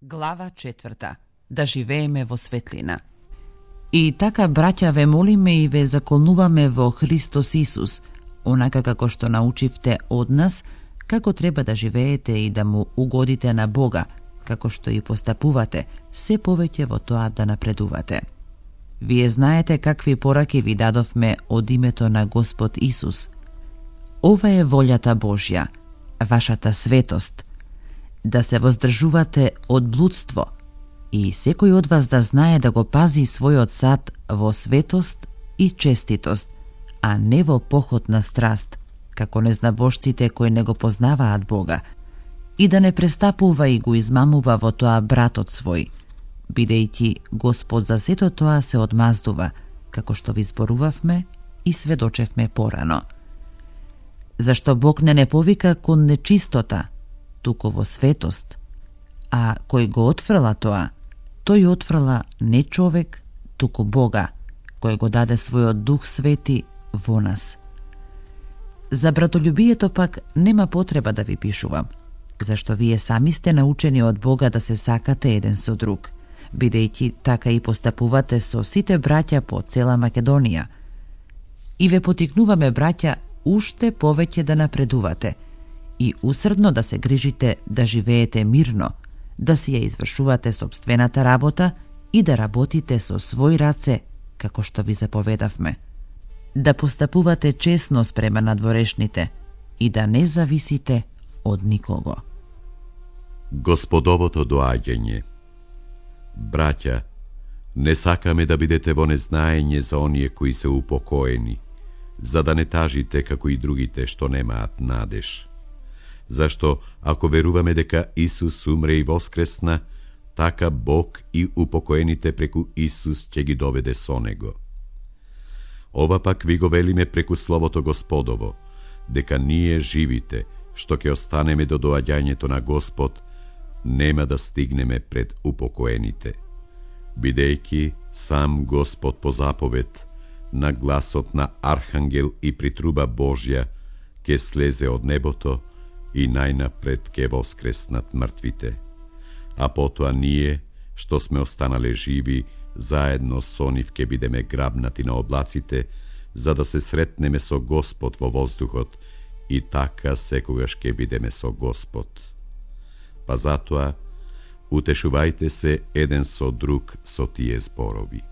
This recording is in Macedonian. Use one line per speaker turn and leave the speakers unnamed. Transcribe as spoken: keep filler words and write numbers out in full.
Глава четврта. Да живееме во светлина. И така, браќа, ве молиме и ве заколнуваме во Христос Исус, онака како што научивте од нас, како треба да живеете и да му угодите на Бога, како што и постапувате, се повеќе во тоа да напредувате. Вие знаете какви пораки ви дадовме од името на Господ Исус. Ова е волјата Божја, вашата светост, да се воздржувате од блудство и секој од вас да знае да го пази својот сад во светост и честитост, а не во поход на страст, како незнабожците кои не го познаваат Бога, и да не престапува и го измамува во тоа братот свој, бидејќи Господ за сето тоа се одмаздува, како што ви зборувавме и сведочевме порано. Зашто Бог не не повика кон нечистота, туку во светост, а кој го отфрла тоа, тој отфрла не човек, туку Бога, кој го даде својот Дух Свети во нас. За братолюбието пак нема потреба да ви пишувам, зашто вие сами сте научени од Бога да се сакате еден со друг, бидејќи така и постапувате со сите браќа по цела Македонија. И ве потикнуваме, браќа, уште повеќе да напредувате и усрдно да се грижите да живеете мирно, да си ја извршувате сопствената работа и да работите со свој раце, како што ви заповедавме. Да постапувате честно спрема надворешните и да не зависите од никого.
Господовото доаѓање. Браќа, не сакаме да бидете во незнаење за оние кои се упокоени, за да не тажите како и другите што немаат надеж. Зашто, ако веруваме дека Исус умре и воскресна, така Бог и упокоените преку Исус ќе ги доведе со Него. Ова пак ви го велиме преку Словото Господово, дека ние живите, што ќе останеме до доаѓањето на Господ, нема да стигнеме пред упокоените. Бидејќи сам Господ по заповед, на гласот на Архангел и при труба Божја, ќе слезе од небото и најнапред ќе воскреснат мртвите. А потоа ние, што сме останале живи, заедно со нив ќе бидеме грабнати на облаците, за да се сретнеме со Господ во воздухот и така секогаш ќе бидеме со Господ. Па затоа, утешувајте се еден со друг со тие зборови.